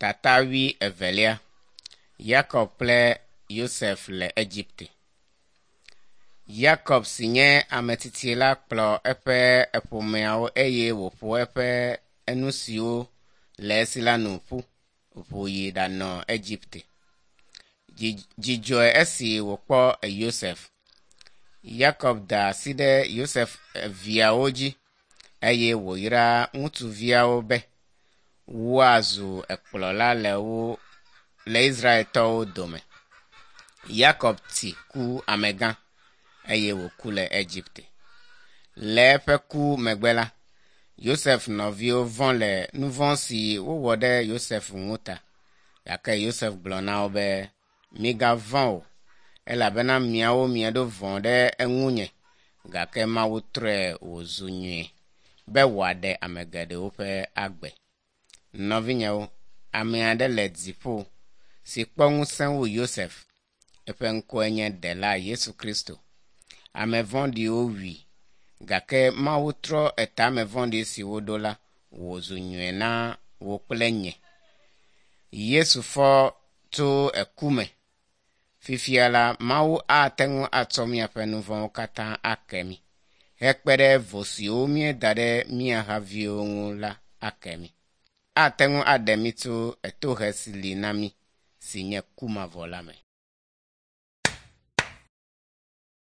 Tata wui evelia. Yakob kple Yosef le Egipte. Yakob si nye ame tsitsi la kplɔ eƒe ƒomeawo eye wòƒo eƒe nu siwo le esi la nu ƒu ʋu yi ɖanɔ Egipte. Dzi dzɔe esi wòkpɔ Yosef. Yakob da asi ɖe Yosef viawo dzi eye wòyra ŋutsuviawo be woazu ekplɔla le wo le Israeltɔwo dome. Yakob tsi ku amegã eye wòku le Egipte. Le eƒe ku megbe la, Yosef nɔviwo vɔ̃ le nu vɔ̃ si wowɔ ɖe Yosef ŋu ta. Gake Yosef gblɔ na wo be, “Migavɔ̃ o, elabena miawo mieɖo vɔ̃ ɖe eŋunye, gake Mawu trɔe wòzu nyui be wòaɖe ame geɖewo ƒe agbe.” Nɔvinyewo, ame aɖe le dziƒo si kpɔ ŋusẽ wu Yosef. Eƒe ŋkɔe nye Ɖela Yesu Kristo. Ame vɔ̃ɖiwo wui, gake Mawu trɔ etame vɔ̃ɖi si woɖo la wòzu nyui na wò kple nye. Yesu fɔ tso eku me. Fifia la, Mawu ate ŋu atsɔ míaƒe nu vɔ̃wo katã ake mí, hekpe ɖe vo siwo míeda ɖe mía haviwo ŋu la ake mí. Ate ŋu aɖe mí tso etohe si li na mí si nye ku mavɔ la me.